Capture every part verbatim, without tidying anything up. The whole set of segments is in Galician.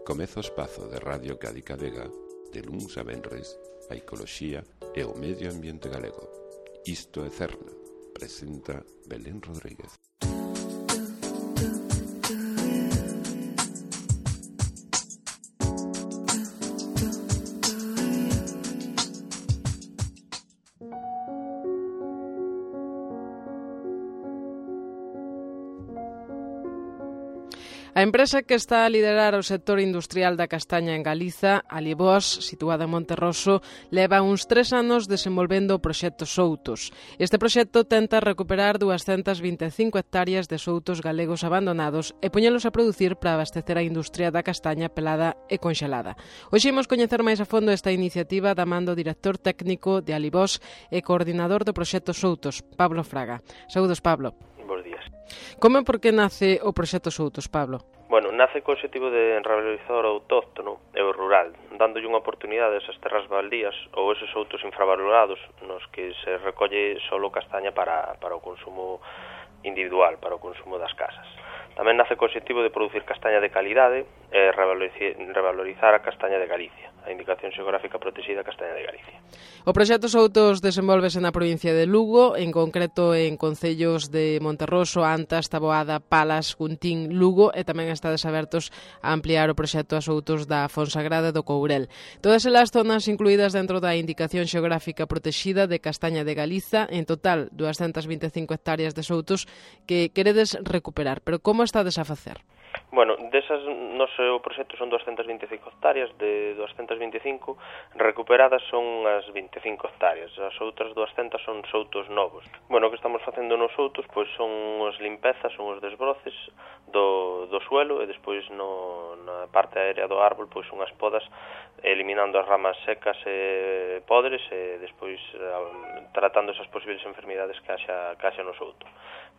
Comeza o espazo de Radio Cádiz Vega, de luns a venres, a ecoloxía e o medio ambiente galego. Isto é Cerna, presenta Belén Rodríguez. A empresa que está a liderar o sector industrial da castaña en Galiza, Alibós, situada en Monterroso, leva uns tres anos desenvolvendo o proxecto Soutos. Este proxecto tenta recuperar duascentas vinte e cinco hectáreas de soutos galegos abandonados e poñelos a producir para abastecer a industria da castaña pelada e conxelada. Hoxe imos coñecer máis a fondo esta iniciativa da man do director técnico de Alibós e coordinador do proxecto Soutos, Pablo Fraga. Saúdos, Pablo. Bos días. Como e por que nace o proxecto Soutos, Pablo? Bueno, nace co objetivo de revalorizar o autóctono e o rural, dándolle unha oportunidade a esas terras baldías ou eses outros infravalorados nos que se recolle solo castaña para, para o consumo individual, para o consumo das casas. Tamén nace co objetivo de producir castaña de calidade e revalorizar a castaña de Galicia, a indicación xeográfica protexida castaña de Galicia. O proxecto Soutos desenvolvese na provincia de Lugo, en concreto en concellos de Monterroso, Antas, Taboada, Palas, Guntín, Lugo, e tamén estades abertos a ampliar o proxecto a Soutos da Fonsagrada do Courel. Todas elas zonas incluídas dentro da indicación xeográfica protexida de castaña de Galiza, en total duascentas vinte e cinco hectáreas de soutos que queredes recuperar. Pero como estades a facer? Bueno, desas, no sei, o proxecto son duascentas vinte e cinco hectáreas, de duascentas vinte e cinco recuperadas son as vinte e cinco hectáreas, as outras duascentas son soutos novos. Bueno, o que estamos facendo nos soutos pois son as limpezas, son os desbroces do, do suelo e despois no, na parte aérea do árbol pois son as podas eliminando as ramas secas e podres e despois tratando esas posibles enfermidades que haxa, que haxa no souto.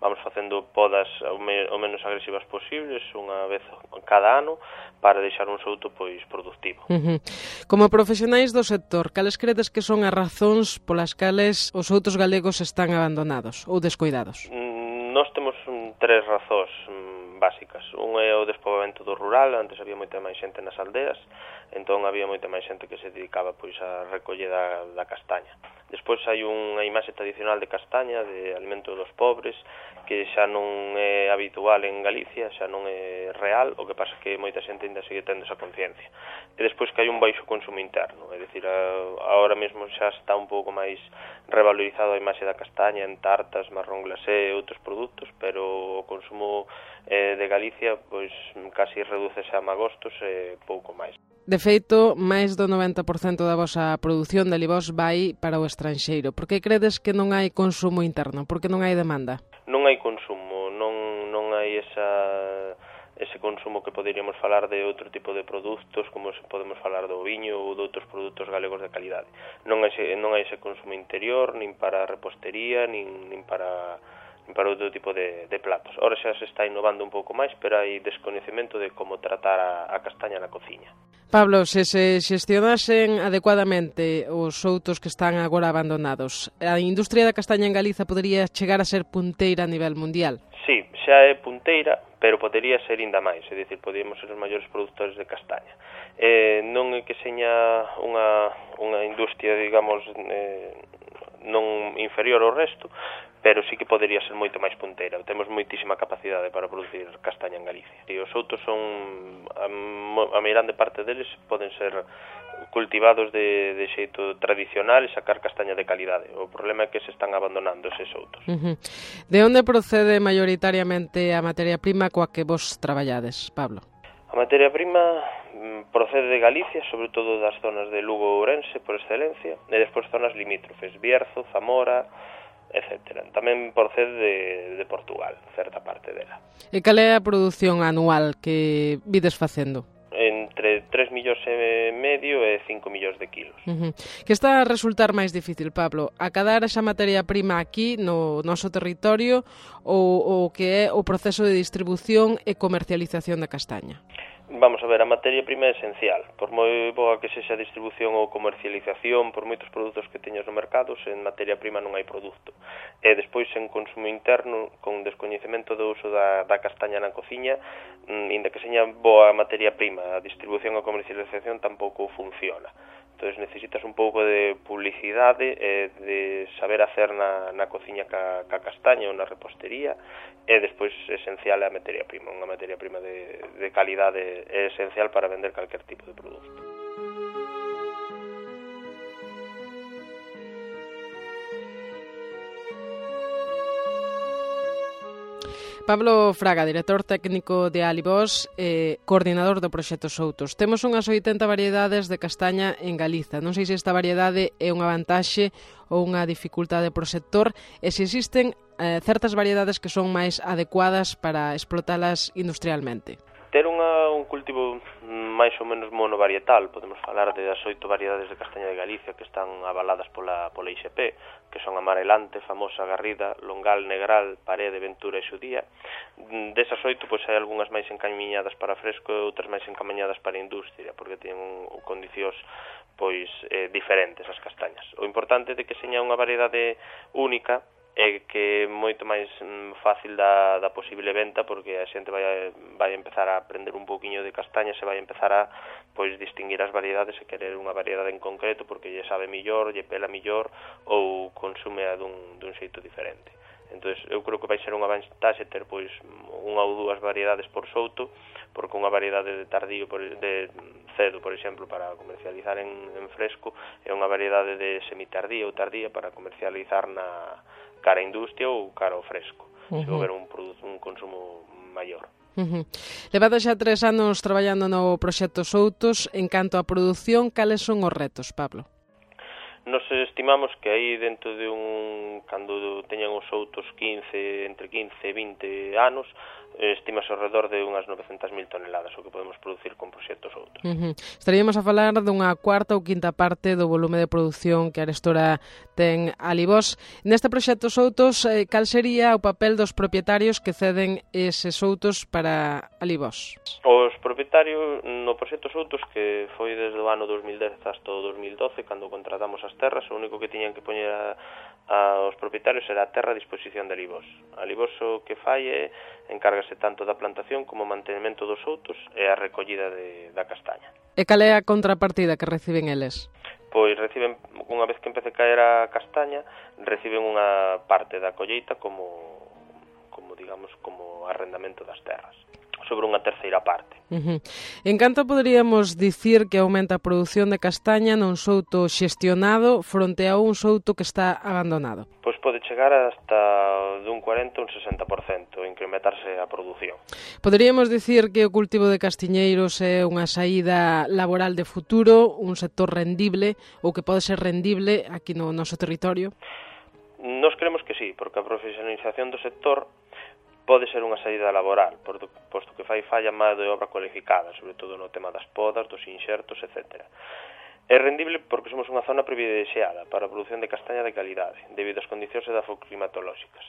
Vamos facendo podas o, me, o menos agresivas posibles, unha vez cada ano, para deixar un souto pois productivo. Uh-huh. Como profesionais do sector, cales credes que son as razóns polas cales os soutos galegos están abandonados ou descoidados? Mm, nós temos um, tres razóns um, básicas. Un é o despoboamento do rural, antes había moita máis xente nas aldeas, entón había moita máis xente que se dedicaba pois a recoller da, da castaña. Despois hai unha imaxe tradicional de castaña, de alimento dos pobres, que xa non é habitual en Galicia, xa non é real, o que pasa que moita xente ainda sigue tendo esa conciencia. E despois que hai un baixo consumo interno, é dicir, agora mesmo xa está un pouco máis revalorizado a imaxe da castaña en tartas, marrón glacé e outros produtos, pero o consumo eh, de Galicia pois casi redúcese a magostos e pouco máis. De feito, máis do noventa por cento da vosa produción de Alibós vai para o estranxeiro. Por que credes que non hai consumo interno? Por que non hai demanda? Non hai consumo, non, non hai esa, ese consumo que poderíamos falar de outro tipo de produtos, como se podemos falar do viño ou de outros produtos galegos de calidade. Non hai, non hai ese consumo interior, nin para repostería, nin, nin para... para outro tipo de, de platos. Ora xa se está innovando un pouco máis, pero hai descoñecemento de como tratar a, a castaña na cociña. Pablo, se se xestionasen adecuadamente os soutos que están agora abandonados, a industria da castaña en Galiza podería chegar a ser punteira a nivel mundial? Sí, xa é punteira, pero podería ser ainda máis, é dicir, podíamos ser os maiores produtores de castaña. Eh, non é que seña unha, unha industria, digamos, eh, non inferior ao resto, pero sí que podería ser moito máis punteira. Temos moitísima capacidade para producir castaña en Galicia. E os soutos son, a, a meirande parte deles poden ser cultivados de, de xeito tradicional e sacar castaña de calidade. O problema é que se están abandonando eses soutos. Uh-huh. De onde procede maioritariamente a materia prima coa que vos traballades, Pablo? A materia prima procede de Galicia, sobre todo das zonas de Lugo e Ourense, por excelencia, e despois zonas limítrofes, Bierzo, Zamora, etcétera. Tamén procede de, de Portugal, certa parte dela. E cal é a produción anual que vides facendo? Entre tres millóns e medio e cinco millóns de kilos. Uh-huh. Que está a resultar máis difícil, Pablo? Acadar esa materia prima aquí no noso territorio ou o que é o proceso de distribución e comercialización da castaña? Vamos a ver, a materia prima é esencial. Por moi boa que sexa a distribución ou comercialización, por moitos produtos que teñas no mercado, sen materia prima non hai produto. E despois, en consumo interno, con descoñecemento do uso da, da castaña na cociña, inda que seña boa materia prima, a distribución ou comercialización tampouco funciona. Entón, necesitas un pouco de publicidade e de saber hacer na, na cociña ca, ca castaña ou na repostería, e despois esencial é a materia prima. Unha materia prima de, de calidade é esencial para vender calquer tipo de produto. Pablo Fraga, director técnico de Alibós e coordinador do proxecto Soutos. Temos unhas oitenta variedades de castaña en Galiza. Non sei se esta variedade é unha vantaxe ou unha dificultade pro sector e se existen eh, certas variedades que son máis adecuadas para explotalas industrialmente. Ter unha, un cultivo máis ou menos monovarietal, podemos falar de as oito variedades de castaña de Galicia que están avaladas pola, pola I X P, que son Amarelante, Famosa, Garrida, Longal, Negral, Parede, Ventura e Xudía. Desas oito, pois, hai algunhas máis encamiñadas para fresco e outras máis encamiñadas para a industria, porque teñen condicións pois eh, diferentes as castañas. O importante é que seña unha variedade única e que é moito máis fácil da, da posible venta, porque a xente vai, vai empezar a aprender un pouquiño de castaña, se vai empezar a pois distinguir as variedades e querer unha variedade en concreto porque lle sabe millor, lle pela millor ou consume a dun, dun xeito diferente. Entón, eu creo que vai ser unha vantaxe ter pois unha ou dúas variedades por souto, porque unha variedade de tardío, por, de cedo, por exemplo, para comercializar en, en fresco, é unha variedade de semitardía ou tardía para comercializar na cara a industria ou cara ao fresco, uh-huh. se houver un, un consumo maior. Uh-huh. Levado xa tres anos traballando no proxecto Soutos. En canto á produción, cales son os retos, Pablo? Nos estimamos que aí dentro de un, cando teñan os soutos quince, entre quince e vinte anos, estimase ao redor de unhas novecentas mil toneladas o que podemos producir con proxectos Soutos. Uh-huh. Estaríamos a falar dunha cuarta ou quinta parte do volume de produción que Arestora ten Alibós. Neste proxecto Soutos, eh, cal sería o papel dos propietarios que ceden eses soutos para Alibós? Os propietarios no proxecto Soutos, que foi desde o ano dos mil dez hasta o dos mil doce, cando contratamos as terras, o único que tiñan que poñer a, a, os propietarios era a terra a disposición de Alibós. Alibós o que fai é encárgase tanto da plantación como o mantenimento dos soutos e a recollida de, da castaña. E cal é a contrapartida que reciben eles? Pois reciben, unha vez que empece a caer a castaña, reciben unha parte da colleita como, como digamos, como arrendamento das terras, sobre unha terceira parte. Uh-huh. En canto poderíamos dicir que aumenta a produción de castaña nun souto xestionado fronte a un souto que está abandonado? Pois pode chegar hasta dun cuarenta a un sesenta por cento, incrementarse a produción. Poderíamos dicir que o cultivo de castiñeiros é unha saída laboral de futuro, un sector rendible, ou que pode ser rendible aquí no noso territorio? Nos creemos que sí, porque a profesionalización do sector pode ser unha saída laboral, posto que fai falla má de obra cualificada, sobre todo no tema das podas, dos inxertos, etcétera. É rendible porque somos unha zona privilexiada para a produción de castaña de calidade, debido ás condicións edafoclimatolóxicas.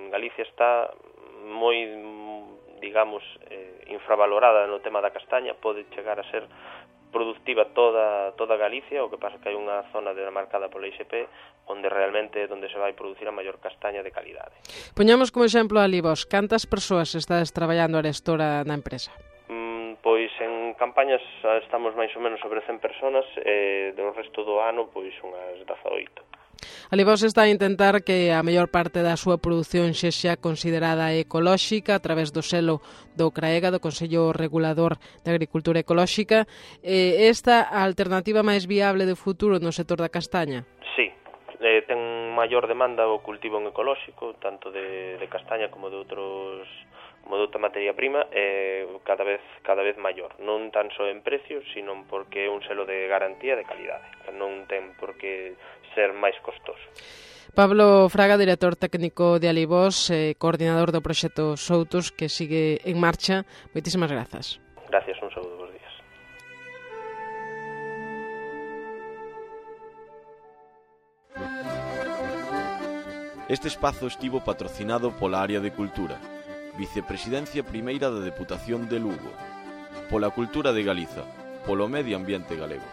Galicia está moi, digamos, eh, infravalorada no tema da castaña, pode chegar a ser productiva toda toda Galicia, o que pasa que hai unha zona demarcada pola I X P onde realmente é onde se vai producir a maior castaña de calidade. Poñamos como exemplo a Alibós. Cantas persoas estades traballando arestora na empresa? Mm, pois en campañas estamos máis ou menos sobre cen personas e do resto do ano pois unhas dezaoito. Alibós está a intentar que a maior parte da súa produción sexa considerada ecolóxica a través do selo do CRAEGA, do Consello Regulador de Agricultura Ecolóxica. Eh, esta a alternativa máis viable de futuro no sector da castaña? Sí, eh, ten maior demanda o cultivo en ecolóxico, tanto de, de castaña como de outros como de outra materia prima, eh, cada vez cada vez maior, non tan só en precio, sino porque é un selo de garantía de calidade, non ten por que ser máis costoso. Pablo Fraga, director técnico de Alibós, eh, coordinador do proxecto Soutos, que sigue en marcha. Moitísimas grazas. Gracias, un saúdo, bons días. Este espazo estivo patrocinado pola Área de Cultura, Vicepresidencia Primeira da Deputación de Lugo. pola cultura de Galiza, polo medio ambiente galego.